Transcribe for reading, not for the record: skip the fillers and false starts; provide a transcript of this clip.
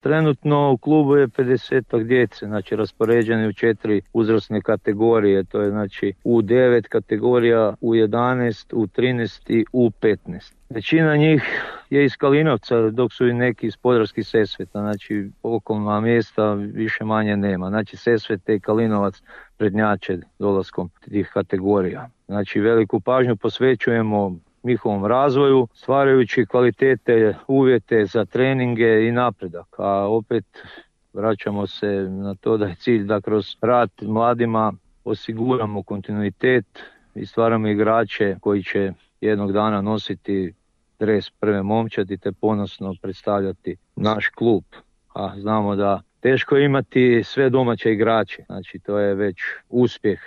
Trenutno u klubu je 50 djece, znači raspoređeni u 4 uzrasne kategorije, to je znači U9 kategorija, U11, U13 i U15. Većina njih je iz Kalinovca, dok su i neki iz Podravskih Sesveta, znači okolna mjesta više manje nema. Znači Sesvete i Kalinovac prednjače dolaskom tih kategorija. Znači veliku pažnju posvećujemo njihovom razvoju, stvarajući kvalitete, uvjete za treninge i napredak. A opet vraćamo se na to da je cilj da kroz rad mladima osiguramo kontinuitet i stvaramo igrače koji će jednog dana nositi dres prve momčadi te ponosno predstavljati naš klub. A znamo da teško je imati sve domaće igrače, znači to je već uspjeh.